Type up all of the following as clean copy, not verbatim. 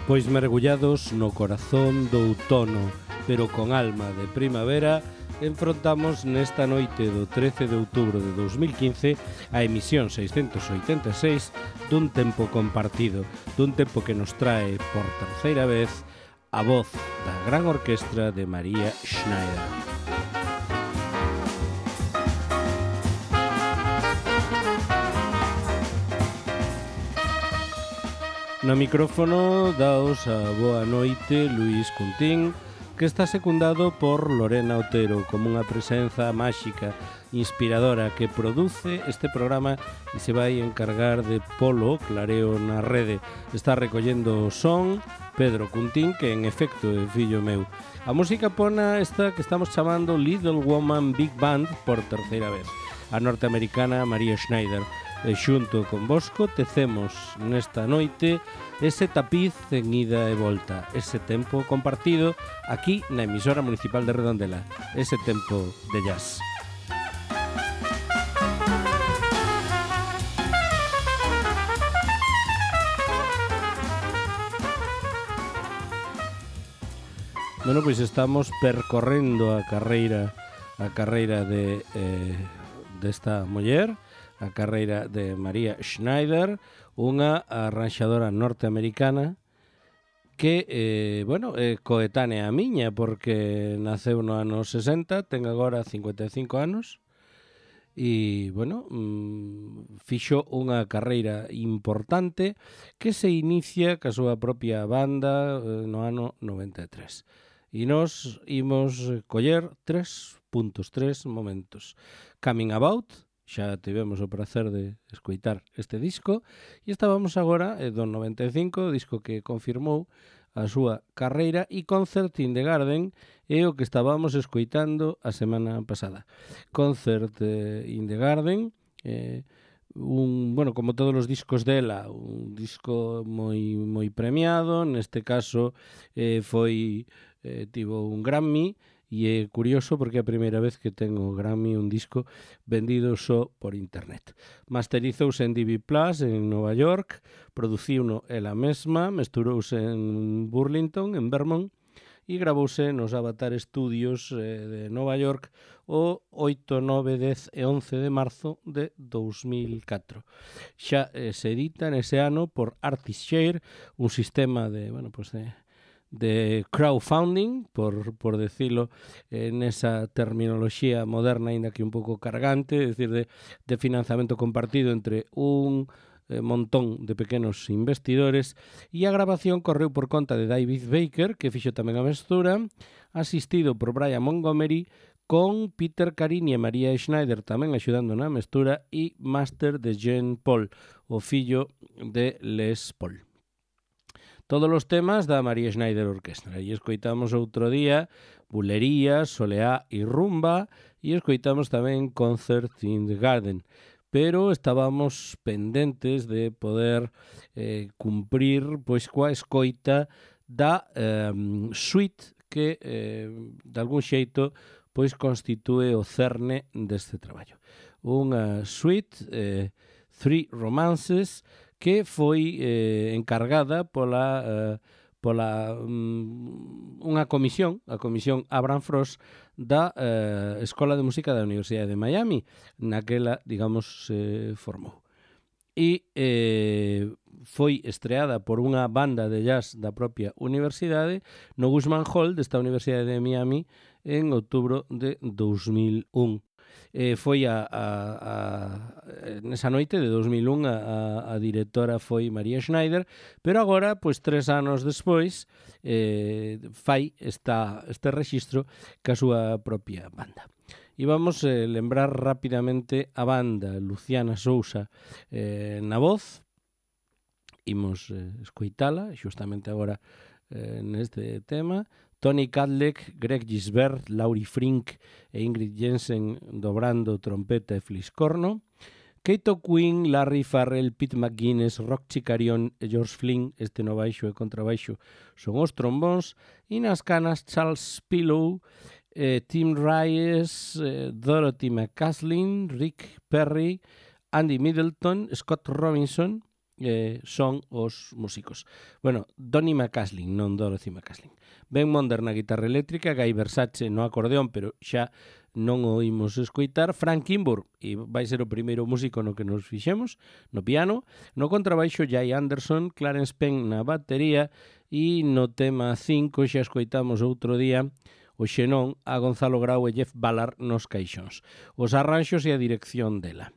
Pois mergullados no corazón do outono, pero con alma de primavera, enfrontamos nesta noite do 13 de outubro de 2015 a emisión 686 dun tempo compartido, dun tempo que nos trae por terceira vez a voz da gran orquestra de María Schneider. No micrófono daos a boa noite Luís Cuntín, que está secundado por Lorena Otero como unha presenza máxica, inspiradora, que produce este programa e se vai encargar de polo clareo na rede. Está recollendo o son Pedro Cuntín, que en efecto é fillo meu. A música pona esta que estamos chamando Little Woman Big Band por terceira vez, a norteamericana María Schneider. E xunto con Bosco tecemos nesta noite ese tapiz en ida e volta, ese tempo compartido aquí na emisora municipal de Redondela, ese tempo de jazz. Bueno, pois estamos percorrendo a carreira de desta muller, a carreira de María Schneider, unha arranxadora norteamericana que, coetánea a miña, porque naceu no ano 60, ten agora 55 anos, e, fixo unha carreira importante que se inicia ca súa propia banda no ano 93. E nos imos coller 3 momentos. Coming About, xa tivemos o prazer de escoitar este disco, e estábamos agora do 95, disco que confirmou a súa carreira, e Concert in the Garden é o que estábamos escoitando a semana pasada. Concert in the Garden, como todos os discos dela, un disco moi premiado, neste caso tivo un Grammy. E é curioso porque é a primeira vez que ten o Grammy un disco vendido só por internet. Masterizouse en DV Plus en Nova York, produciuno ela mesma, mesturouse en Burlington, en Vermont, e gravouse nos Avatar Studios de Nova York o 8, 9, 10 e 11 de marzo de 2004. Xa se edita nese ano por Artistshare, un sistema de crowdfunding, por decirlo nesa terminoloxía moderna, ainda que un pouco cargante, é dicir, de financiamento compartido entre un montón de pequenos investidores, e a grabación correu por conta de David Baker, que fixo tamén a mestura, asistido por Brian Montgomery, con Peter Carini e María Schneider tamén axudando na mestura, e máster de Jean Paul, o fillo de Les Paul. Todos os temas da María Schneider Orquestra. E escoitamos outro día Bulería, Soleá e Rumba, e escoitamos tamén Concert in the Garden. Pero estábamos pendentes de poder cumprir coa escoita da suite que de algún xeito constitúe o cerne deste traballo. Unha suite, Three Romances, que foi encargada pola unha comisión, a comisión Abraham Frost da Escola de Música da Universidade de Miami, naquela, se formou. E foi estreada por unha banda de jazz da propia universidade no Guzman Hall desta Universidade de Miami en outubro de 2001. Foi nesa noite de 2001 a directora foi María Schneider, pero agora, 3 anos despois, fai este rexistro ca súa propia banda. E vamos lembrar rapidamente a banda: Luciana Sousa na voz, imos escoitala xustamente agora neste tema, Tony Kadlec, Greg Gisbert, Laurie Frink e Ingrid Jensen dobrando trompeta e fliscorno, Keito Quinn, Larry Farrell, Pete McGuinness, Rock Chicarion e George Flynn, este no baixo e contrabaixo son os trombóns, e nas canas Charles Pillow, Tim Reyes, Dorothy McCaslin, Rick Perry, Andy Middleton, Scott Robinson, son os músicos. Bueno, Donny McCaslin, non Dorothy McCaslin. Ben Monder na guitarra eléctrica, Guy Versace no acordeón, pero xa non o imos escoitar, Frank Kimbrough, e vai ser o primeiro músico no que nos fixemos, no piano, no contrabaixo Jay Anderson, Clarence Penn na batería, e no tema 5 xa escoitamos outro día o xenón a Gonzalo Grau e Jeff Ballard nos caixóns. Os arranxos e a dirección dela.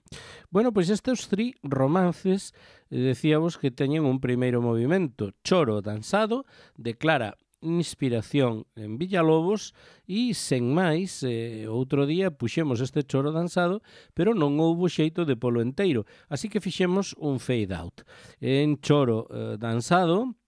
Bueno, pois estes 3 romances decíamos que teñen un primeiro movimento, choro danzado, declara inspiración en Villalobos e, sen máis, outro día puxemos este choro danzado, pero non houbo xeito de polo enteiro, así que fixemos un fade out. En choro danzado,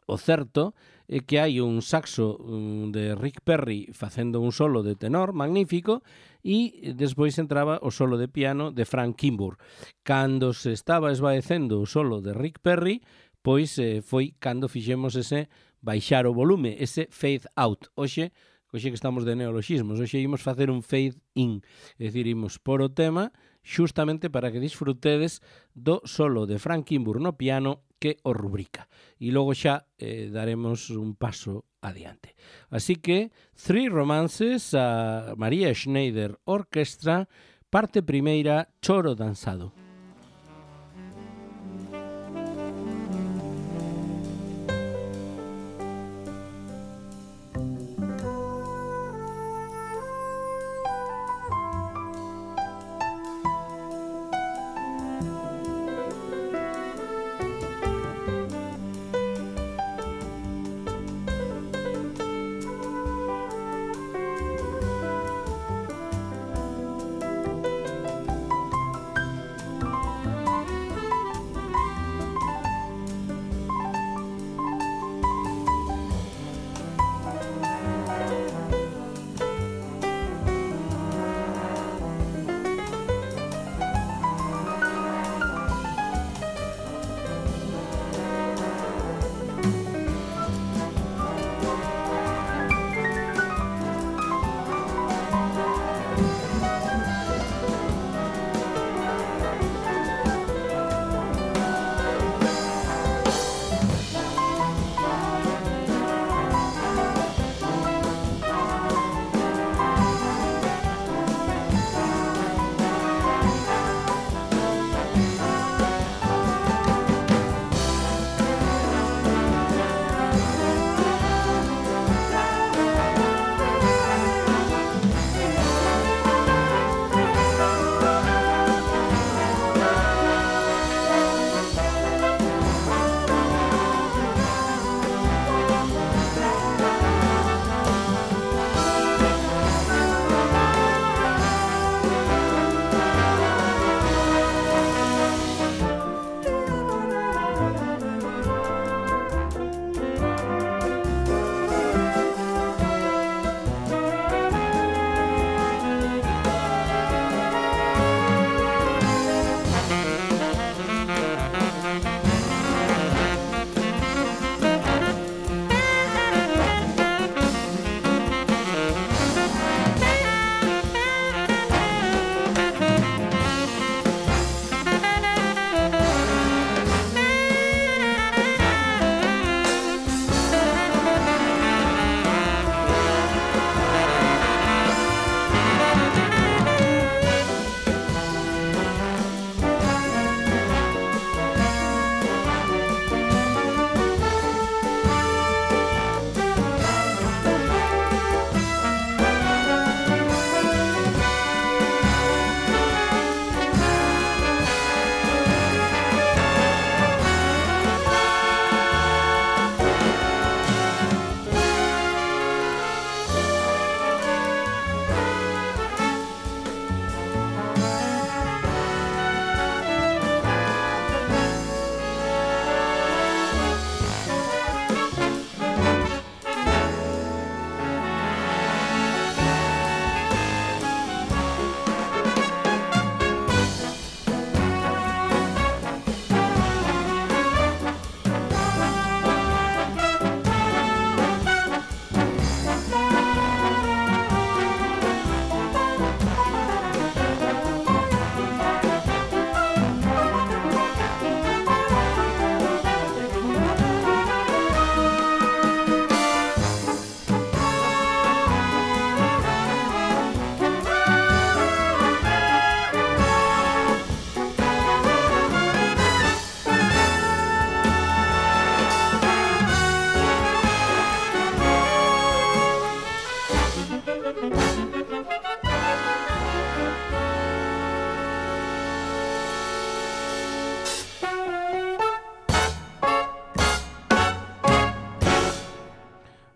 o certo é que hai un saxo de Rick Perry facendo un solo de tenor magnífico e despois entraba o solo de piano de Frank Kimbrough. Cando se estaba esvaecendo o solo de Rick Perry, pois foi cando fixemos ese baixar o volume, ese fade out. Hoxe que estamos de neoloxismos, hoxe imos facer un fade in, é dicir, imos por o tema xustamente para que disfrutedes do solo de Frank Kimbrough no piano que o rubrica. E logo xa daremos un paso adiante. Así que, 3 romances a María Schneider Orquestra, parte primeira, choro danzado.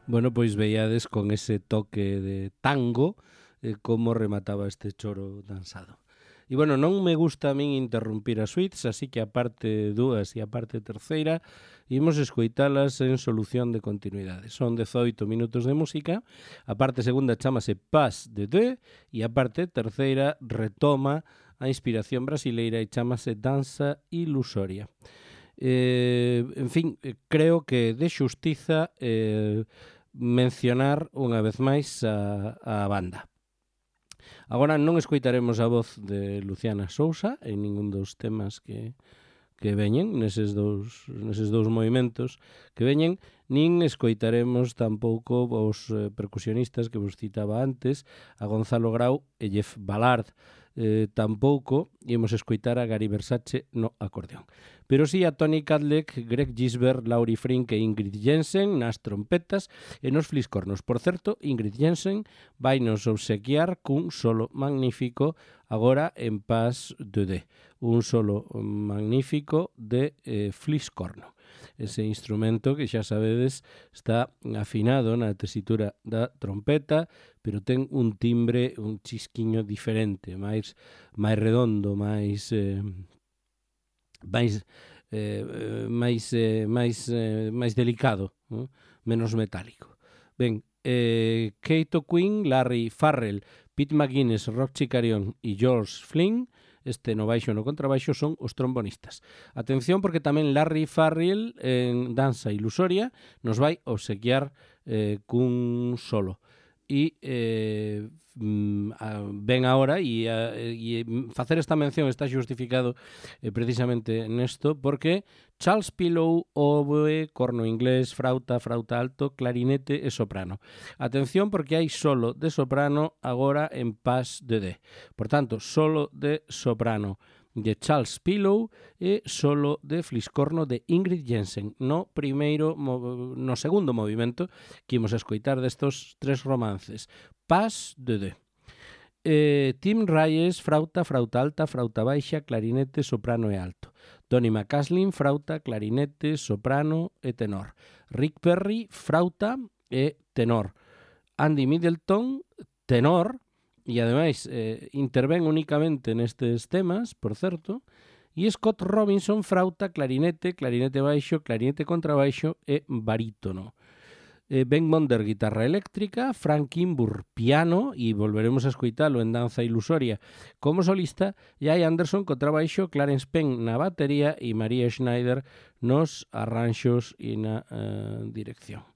Bueno, pois veíades con ese toque de tango como remataba este choro danzado. E, bueno, non me gusta a min interrumpir as suites, así que a parte dúas e a parte terceira imos escoitalas en solución de continuidade. Son 18 minutos de música, a parte segunda chamase Pas de Deux e a parte terceira retoma a inspiración brasileira e chamase Danza Ilusoria. En fin, creo que de xustiza mencionar unha vez máis a banda. Agora non escoitaremos a voz de Luciana Sousa en ningún dos temas que veñen neses dous movimentos que veñen, nin escoitaremos tampouco os percusionistas que vos citaba antes, a Gonzalo Grau e Jeff Ballard. Tampouco imos escoitar a Gary Versace no acordeón. Pero sí a Tony Kadlec, Greg Gisbert, Laurie Frink e Ingrid Jensen nas trompetas e nos fliscornos. Por certo, Ingrid Jensen vai nos obsequiar cun solo magnífico agora en Pas de Deux. Un solo magnífico de fliscorno. Ese instrumento que xa sabedes está afinado na tesitura da trompeta, pero ten un timbre, un chisquiño diferente, máis redondo, máis delicado, ¿no? Menos metálico. Ben, Kate O'Quinn, Larry Farrell, Pete McGuinness, Rob Chicarion e George Flynn, este no baixo e no contrabaixo, son os trombonistas. Atención, porque tamén Larry Farrell en Danza Ilusoria nos vai obsequiar cun solo. E ben agora e facer esta mención está xustificado precisamente nesto porque Charles Pillow, oboe, corno inglés, frauta alto, clarinete e soprano. Atención porque hai solo de soprano agora en Pas de Deux. Por tanto, solo de soprano de Charles Pillow e solo de fliscorno de Ingrid Jensen no segundo movimento que imos escoitar destos tres romances. Pas de Deux. Tim Reyes, frauta alta, frauta baixa, clarinete, soprano e alto. Donny McCaslin, frauta, clarinete, soprano e tenor. Rick Perry, frauta e tenor. Andy Middleton, tenor, e ademais intervén únicamente nestes temas, por certo, e Scott Robinson, frauta, clarinete baixo, clarinete contrabaixo e barítono. Ben Monder, guitarra eléctrica, Frank Kimbur, piano, e volveremos a escoitalo en Danza Ilusoria como solista, e hai Anderson, contrabaixo, Clarence Penn na batería e María Schneider nos arranxos e na dirección.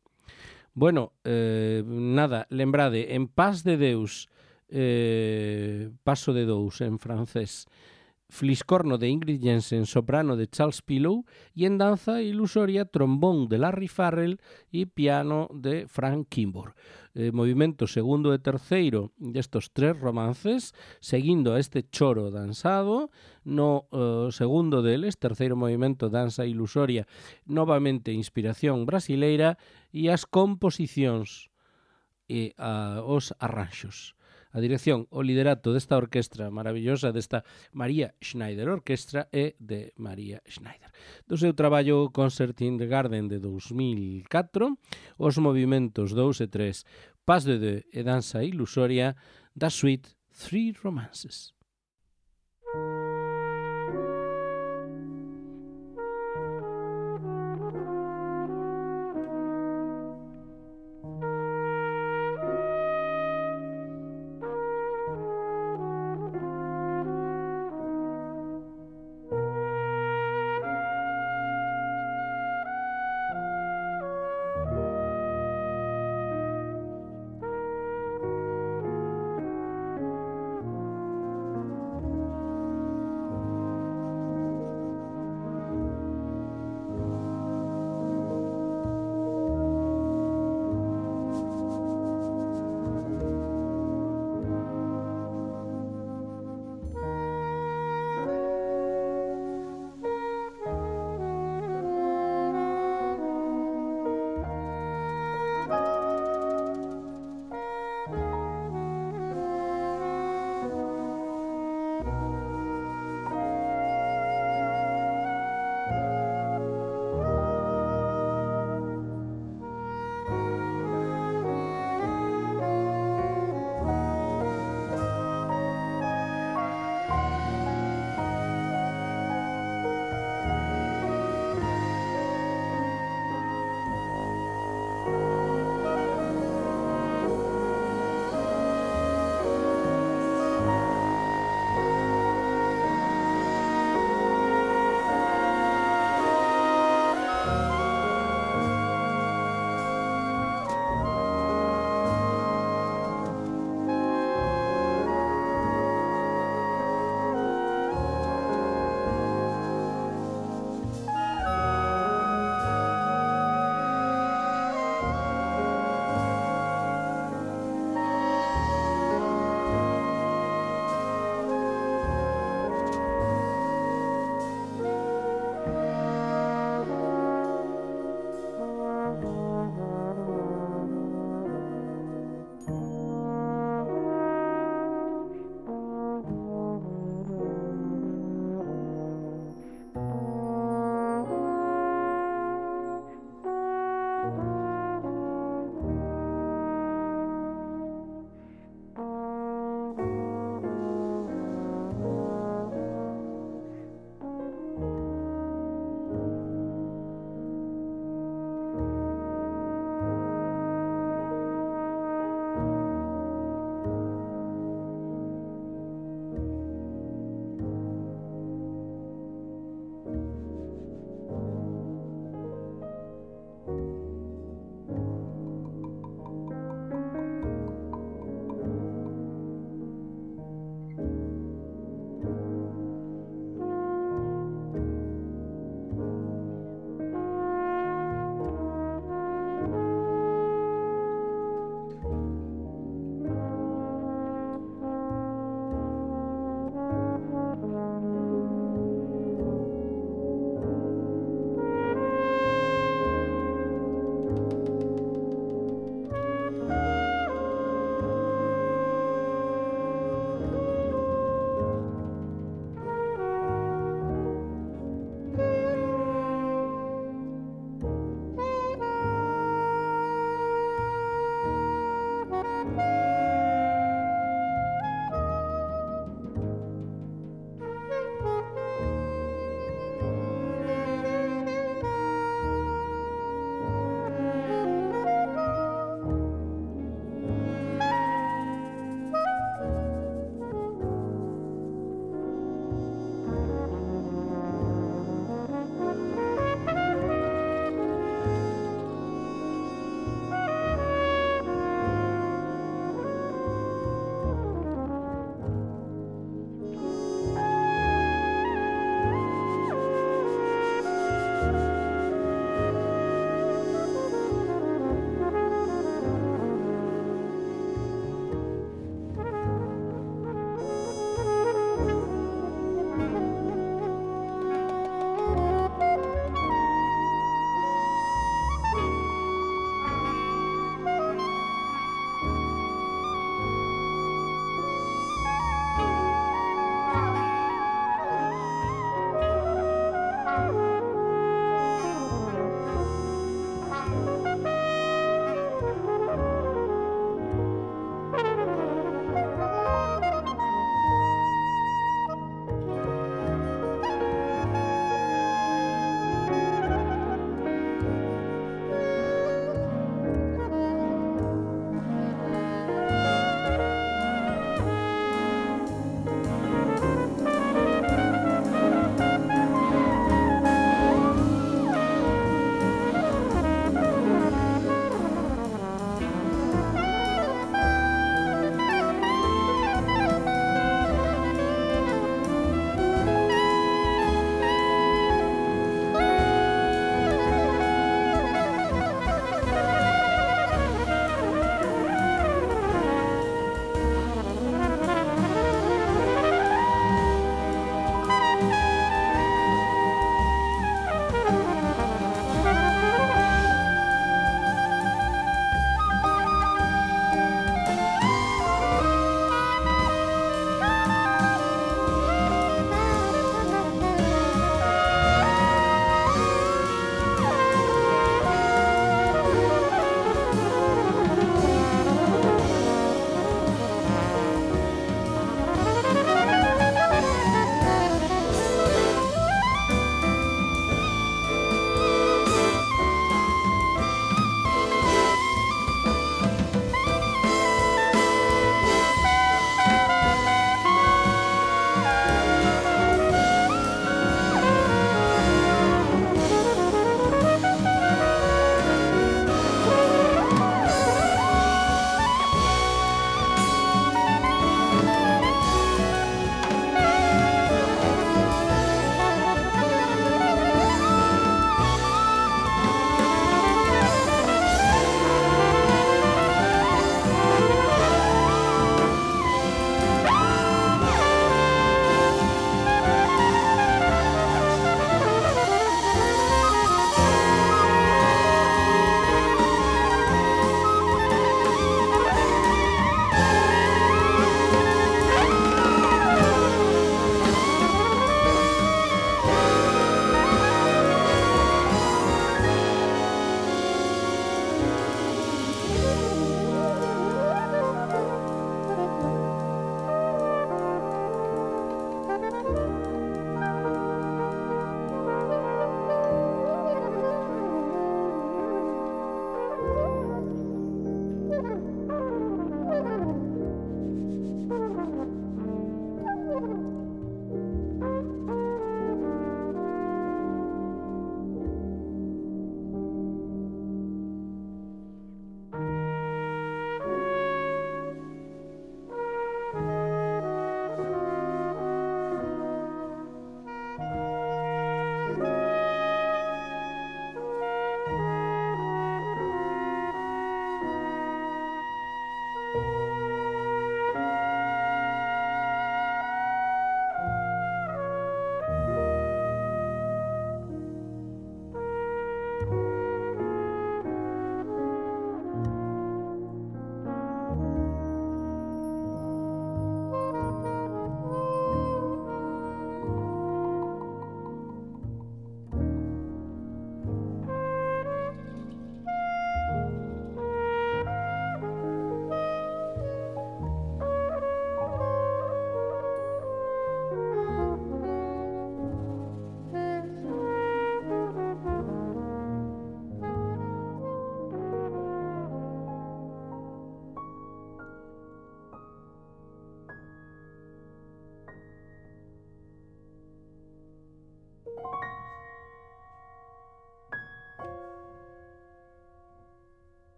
Bueno, nada, lembrade, en Pas de Deus, Paso de Dous en francés, fliscorno de Ingrid Jensen, soprano de Charles Pillow e en Danza Ilusoria, trombón de Larry Farrell e piano de Frank Kimbur. Movimento segundo e terceiro destos tres romances, seguindo a este choro danzado. No segundo deles, terceiro movimento, Danza Ilusoria, novamente inspiración brasileira, e as composicións e os arranxos. A dirección, o liderato desta orquestra maravillosa, desta María Schneider Orquestra, é de María Schneider. Do seu traballo Concert in the Garden de 2004, os movimentos 2 e 3, Pas de Deux e Danza Ilusoria, da suite Three Romances.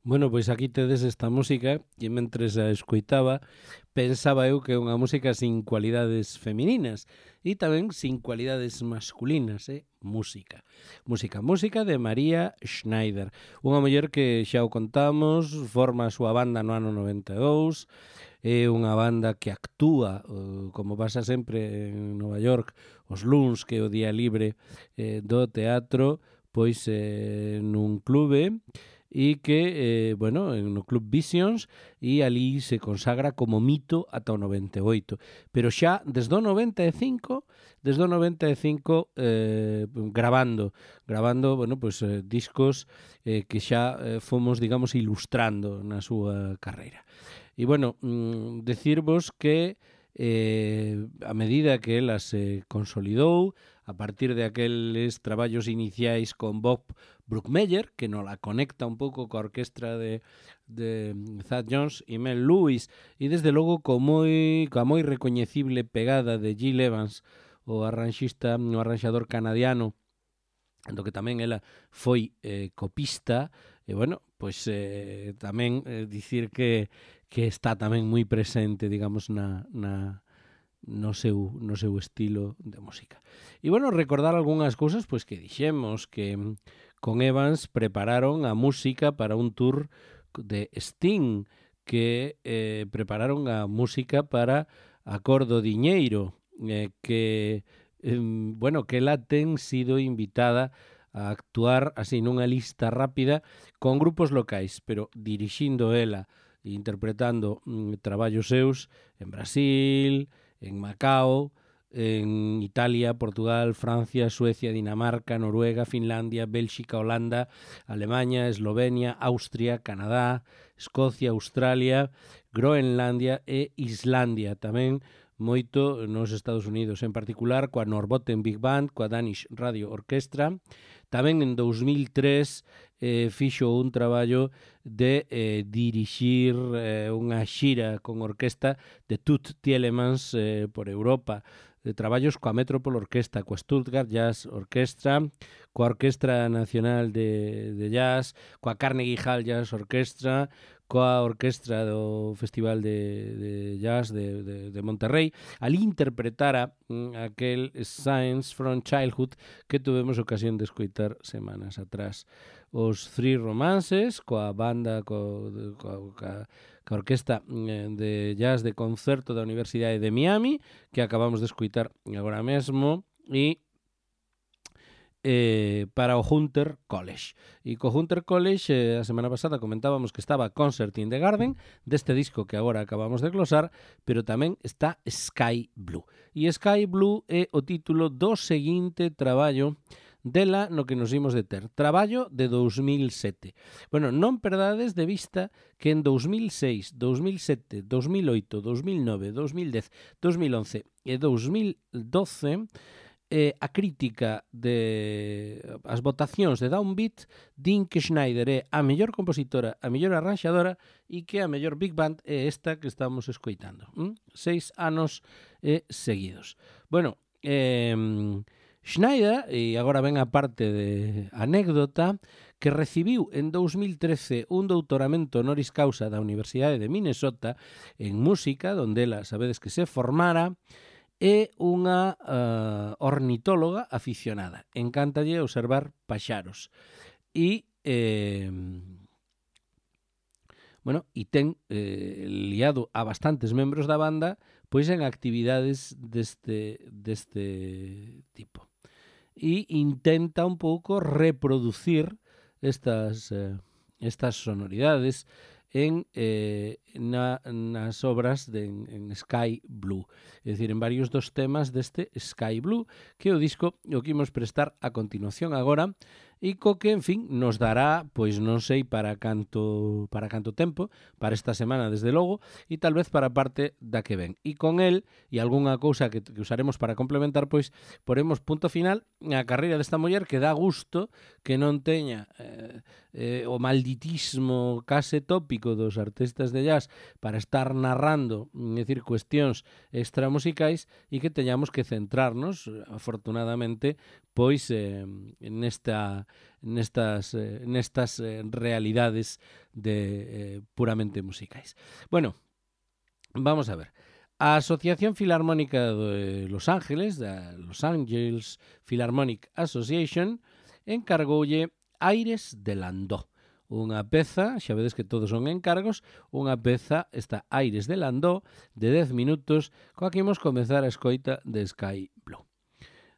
Bueno, pois aquí tedes esta música e mentres a escoitaba pensaba eu que é unha música sin cualidades femininas e tamén sin cualidades masculinas, música. Música de María Schneider, unha muller que xa o contamos, forma a súa banda no ano 92, é unha banda que actúa, como pasa sempre en Nova York, os luns, que é o día libre do teatro, pois nun clube, e que, bueno, no Club Visions, e ali se consagra como mito ata o 98. Pero xa, desde o 95, grabando, bueno, pues, discos que xa fomos, digamos, ilustrando na súa carreira. E, bueno, decirvos que a medida que ela se consolidou, a partir de aqueles traballos iniciais con Bob Brookmeyer, que nos la conecta un pouco coa orquestra de Thad Jones e Mel Lewis, e desde logo coa moi recoñecible pegada de Gil Evans, o arranxador canadiano, do que tamén ela foi copista, e bueno, pois tamén dicir que está tamén moi presente, digamos, no seu estilo de música. E, bueno, recordar algunhas cousas pois que dixemos, que con Evans prepararon a música para un tour de Sting, que prepararon a música para Acordo Diñeiro, que, bueno, que ela ten sido invitada a actuar así nunha lista rápida con grupos locais, pero dirixindo ela e interpretando traballos seus en Brasil, en Macao, en Italia, Portugal, Francia, Suecia, Dinamarca, Noruega, Finlandia, Bélxica, Holanda, Alemania, Eslovenia, Austria, Canadá, Escocia, Australia, Groenlandia e Islandia. Tamén moito nos Estados Unidos, en particular coa Norrbotten Big Band, coa Danish Radio Orchestra. Tamén en 2003 fixo un traballo de dirixir unha xira con orquesta de Toots Thielemans por Europa, de traballos coa Metropole Orquesta, coa Stuttgart Jazz Orchestra, coa Orquestra Nacional de Jazz, coa Carnegie Hall Jazz Orchestra, coa Orquestra do Festival de Jazz de Monterrey. Ali interpretara aquel Science from Childhood que tuvemos ocasión de escoitar semanas atrás. Os Three Romances, coa banda, coa orquesta de jazz de concerto da Universidade de Miami, que acabamos de escoitar agora mesmo, e para o Hunter College. E co Hunter College, a semana pasada comentábamos que estaba Concert in the Garden, deste disco que agora acabamos de glosar, pero tamén está Sky Blue. E Sky Blue é o título do seguinte traballo dela no que nos imos deter. Traballo de 2007. Bueno, non perdades de vista que en 2006, 2007, 2008, 2009, 2010, 2011 e 2012 a crítica de as votacións de Downbeat din que Schneider é a mellor compositora, a mellor arranxadora e que a mellor Big Band é esta que estamos escoitando. 6 anos seguidos. Bueno, Schneider, e agora ven a parte de anécdota, que recibiu en 2013 un doutoramento honoris causa da Universidade de Minnesota en música, donde ela, sabedes que se formara, é unha ornitóloga aficionada. Encántalle observar paxaros. E ten liado a bastantes membros da banda pois en actividades deste tipo. E intenta un pouco reproducir estas sonoridades nas obras en Sky Blue, é dicir, en varios dos temas deste Sky Blue, que o disco o que imos prestar a continuación agora, e co que, en fin, nos dará, pois non sei para canto tempo, para esta semana desde logo, e tal vez para a parte da que ven. E con el, e algunha cousa que usaremos para complementar, pois poremos punto final á carreira desta muller, que dá gusto que non teña o malditismo case tópico dos artistas de jazz para estar narrando, é dicir, cuestións extramusicais, e que teñamos que centrarnos, afortunadamente, pois nestas realidades puramente musicais. Bueno, vamos a ver. A Asociación Filarmónica de Los Ángeles, da Los Angeles Philharmonic Association, encargoulle Aires de Landau. Unha peza, xa vedes que todos son encargos, unha peza, esta Aires de Landau, de 10 minutos, coa que imos comezar a escoita de Sky Blue.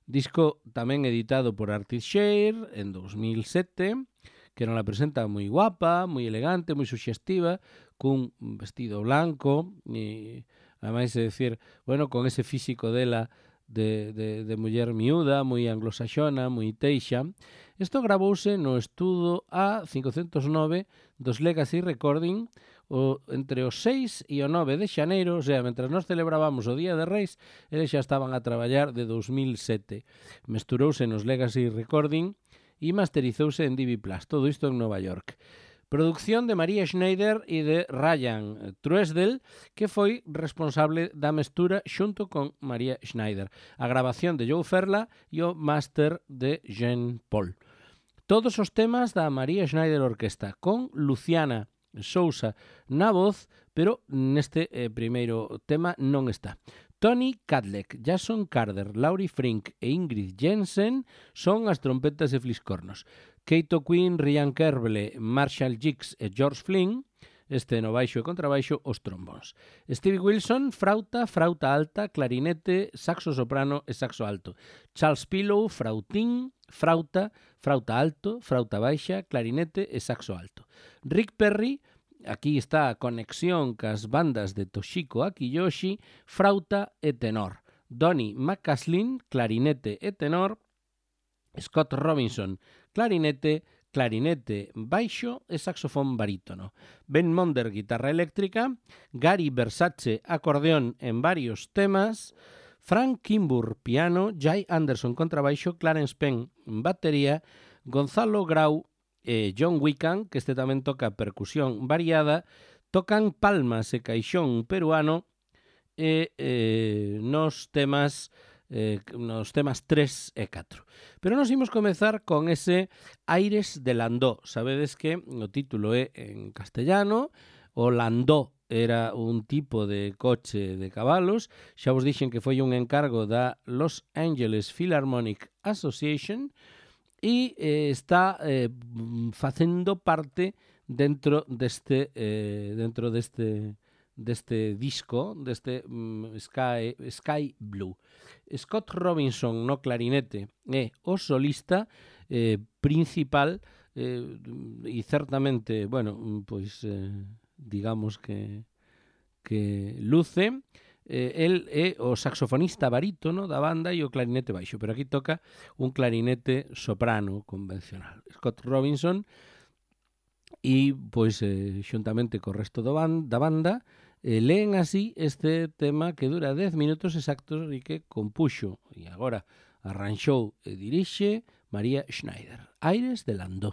Disco tamén editado por Artis Share en 2007, que non la presenta moi guapa, moi elegante, moi suxestiva, cun vestido blanco, e ademais de decir, bueno, con ese físico dela de muller miúda, moi anglosaxona, moi teixa. Isto gravouse no estudo A509 dos Legacy Recording entre o 6 e o 9 de xaneiro, o sea, mentras nós celebrábamos o Día de Reis, eles xa estaban a traballar de 2007. Mesturouse nos Legacy Recording e masterizouse en DV+, todo isto en Nova York. Producción de María Schneider e de Ryan Truesdell, que foi responsable da mestura xunto con María Schneider. A grabación de Joe Ferla e o máster de Jean Paul. Todos os temas da María Schneider Orquesta, con Luciana Sousa na voz, pero neste primeiro tema non está. Tony Kadlec, Jason Carter, Laurie Frink e Ingrid Jensen son as trompetas e fliscornos. Keito Quinn, Ryan Kerble, Marshall Giggs e George Flynn, este no baixo e contrabaixo, os trombóns. Stevie Wilson, frauta alta, clarinete, saxo soprano e saxo alto. Charles Pillow, frautín, frauta alto, frauta baixa, clarinete e saxo alto. Rick Perry, aquí está a conexión cas bandas de Toshiko Akiyoshi, frauta e tenor. Donny McCaslin, clarinete e tenor. Scott Robinson, clarinete, baixo e saxofón barítono. Ben Monder, guitarra eléctrica. Gary Versace, acordeón en varios temas. Frank Kimbur, piano. Jay Anderson, contrabaixo. Clarence Penn, batería. Gonzalo Grau e John Wickham, que este tamén toca percusión variada, tocan palmas e caixón peruano e nos temas 3 e 4. Pero nos imos comezar con ese Aires de Landau. Sabedes que o título é en castellano, o Landau era un tipo de coche de cabalos, xa vos dixen que foi un encargo da Los Angeles Philharmonic Association, e está facendo parte dentro deste disco, deste Sky Blue. Scott Robinson no clarinete é o solista principal e certamente, bueno, pois digamos que luce. El é o saxofonista barítono da banda e o clarinete baixo, pero aquí toca un clarinete soprano convencional. Scott Robinson, e pois xuntamente co resto da banda leen así este tema que dura 10 minutos exactos e que compuxo, e agora Arranxou e dirixe María Schneider. Aires de Landó.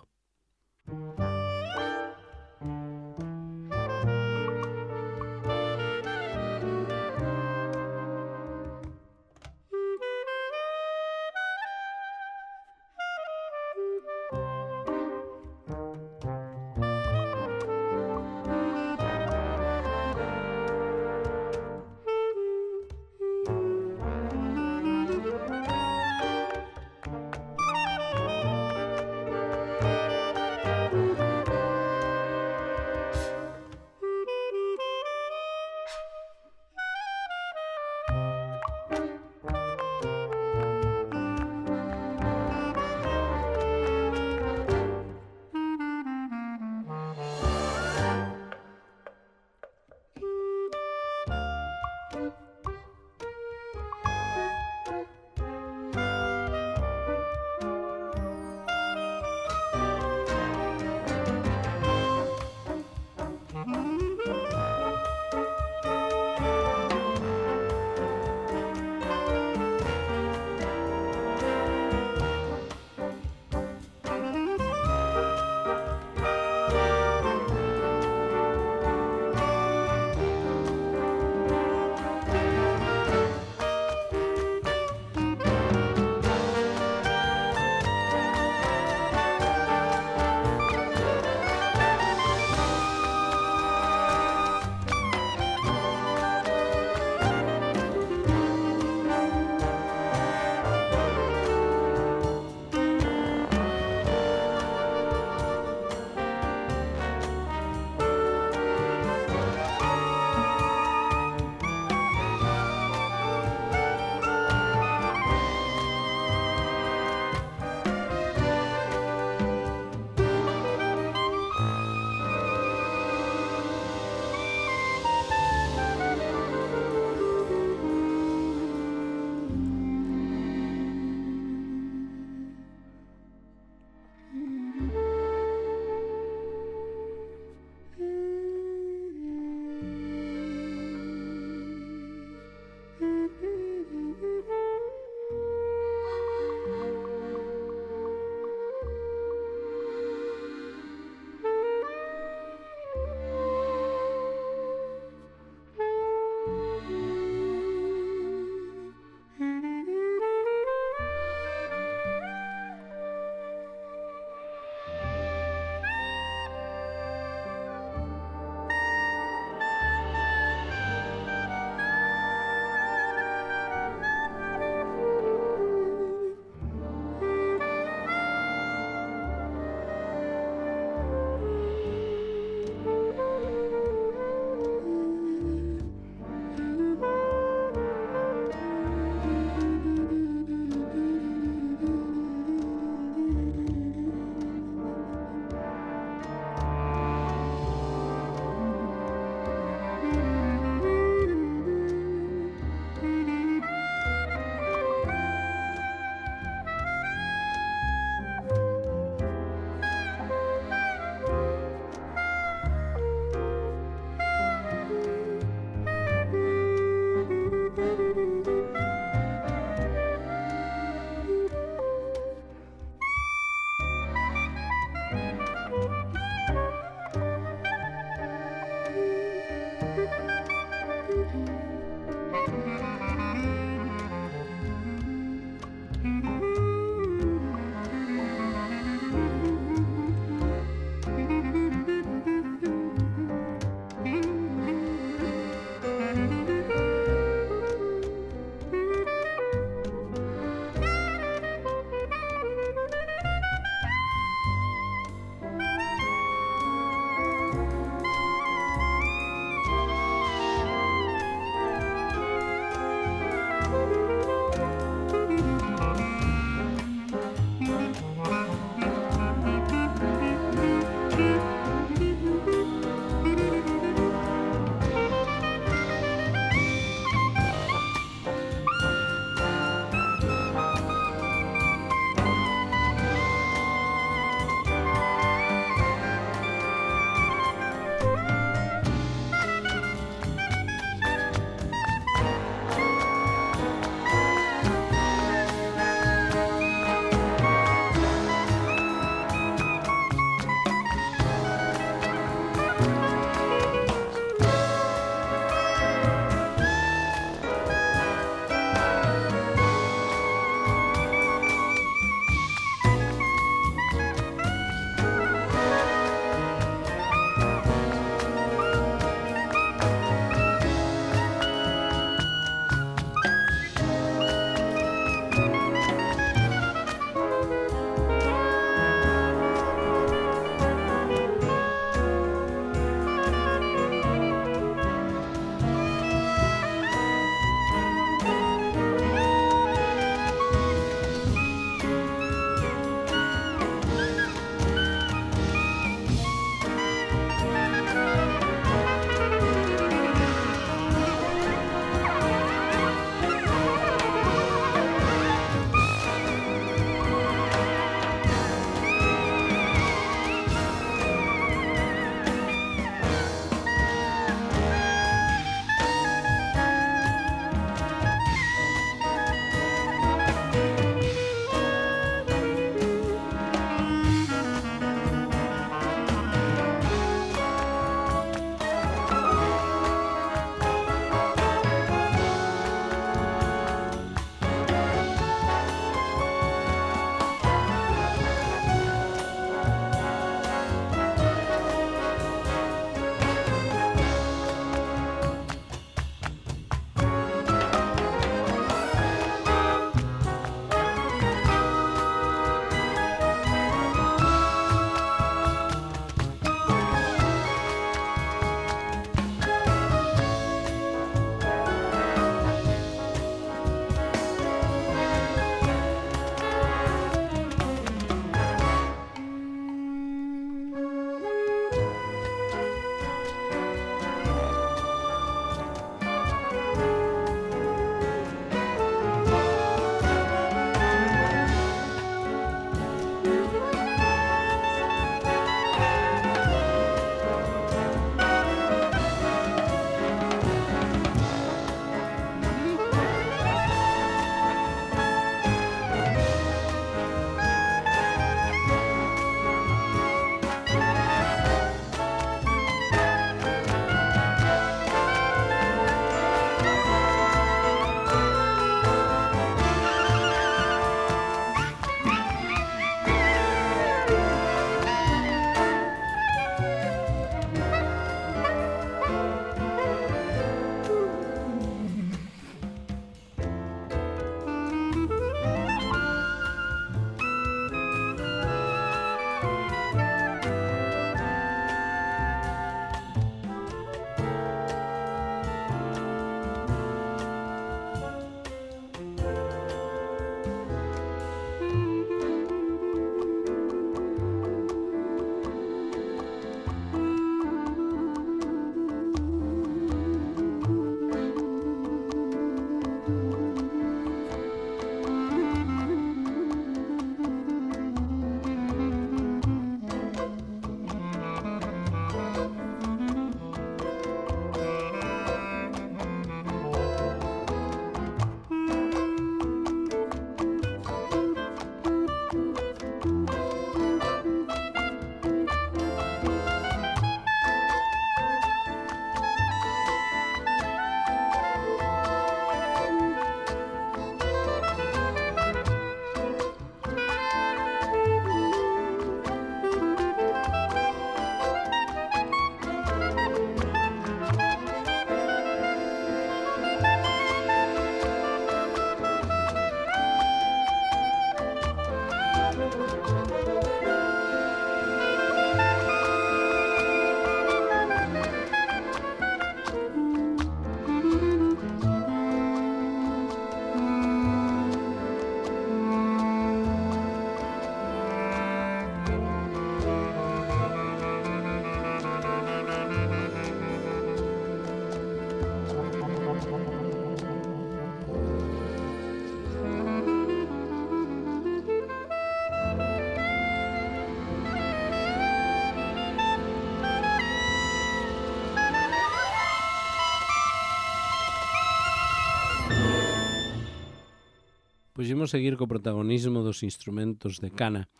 pois imos seguir co protagonismo dos instrumentos de cana.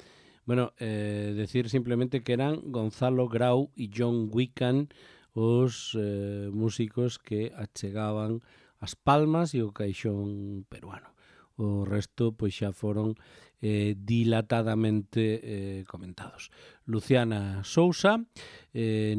Bueno, decir simplemente que eran Gonzalo Grau e John Wiccan os músicos que achegaban as palmas e o caixón peruano. O resto pois xa foron dilatadamente comentados. Luciana Sousa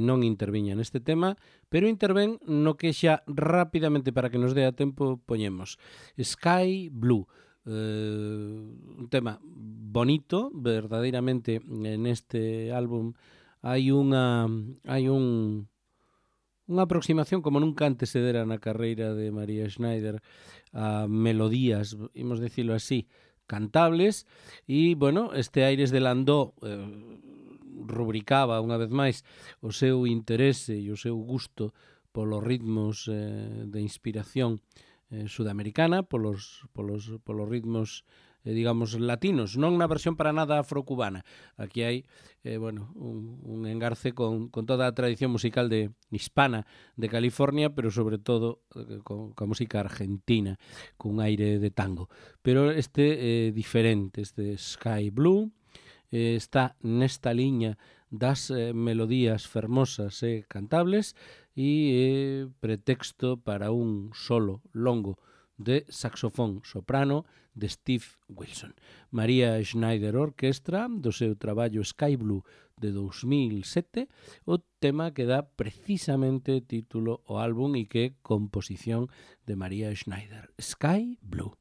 non interviña neste tema, pero intervén no que xa rapidamente, para que nos dé a tempo, poñemos Sky Blue, un tema bonito, verdadeiramente. Neste álbum hai unha aproximación como nunca antes se dera na carreira de María Schneider a melodías, imos dicilo así, cantables, e, bueno, este Aires de Landó rubricaba unha vez máis o seu interese e o seu gusto polos ritmos de inspiración sudamericana, polos ritmos digamos latinos, non na versión para nada afrocubana. Aquí hai un engarce con toda a tradición musical hispana de California, pero sobre todo con música argentina, cun aire de tango. Pero este é diferente, este Sky Blue está nesta liña das melodías fermosas e cantables, e pretexto para un solo longo de saxofón soprano de Steve Wilson. María Schneider Orquestra, do seu traballo Sky Blue de 2007, o tema que dá precisamente título ao álbum e que é composición de María Schneider, Sky Blue.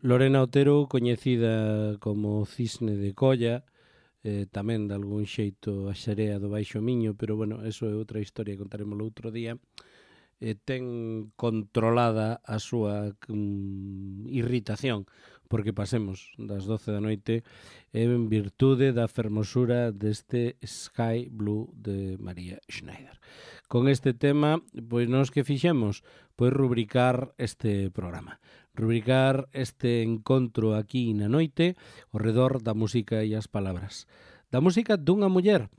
Lorena Otero, coñecida como Cisne de Colla, tamén de algún xeito a Xarea do Baixo Miño, pero bueno, eso é outra historia, contaremos outro día. Ten controlada a súa irritación porque pasemos das 12 da noite en virtude da fermosura deste Sky Blue de María Schneider. Con este tema, pois nos que fixemos, pois rubricar este programa, rubricar este encontro aquí na noite ao redor da música e as palabras. Da música dunha muller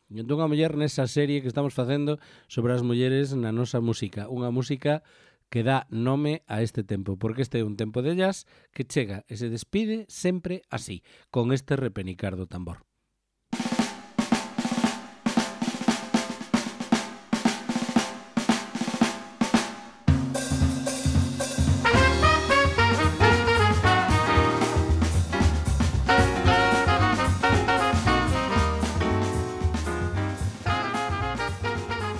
nesa serie que estamos facendo sobre as mulleres na nosa música. Unha música que dá nome a este tempo, porque este é un tempo de jazz que chega e se despide sempre así, con este repenicar do tambor.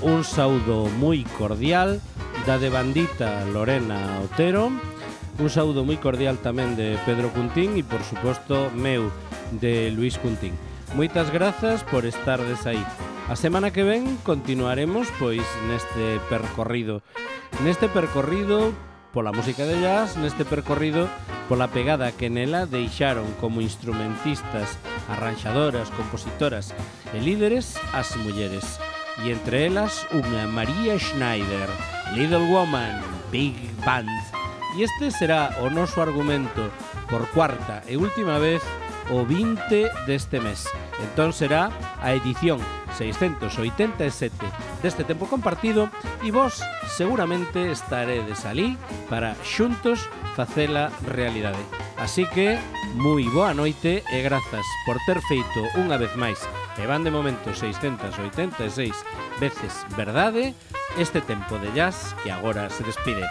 Un saúdo moi cordial da devandita Lorena Otero, un saúdo moi cordial tamén de Pedro Cuntín e, por suposto, meu, de Luis Cuntín. Moitas grazas por estardes aí. A semana que ven continuaremos, pois, neste percorrido pola música de jazz, neste percorrido pola pegada que nela deixaron como instrumentistas, arranxadoras, compositoras e líderes as mulleres. E entre elas unha María Schneider, Little Woman, Big Band. E este será o noso argumento por cuarta e última vez o 20 deste mes. Entón será a edición 687 deste tempo compartido e vos seguramente estaredes alí para xuntos facela realidade. Así que, moi boa noite e grazas por ter feito unha vez máis, e van de momento 686 veces verdade, este tempo de jazz que agora se despide.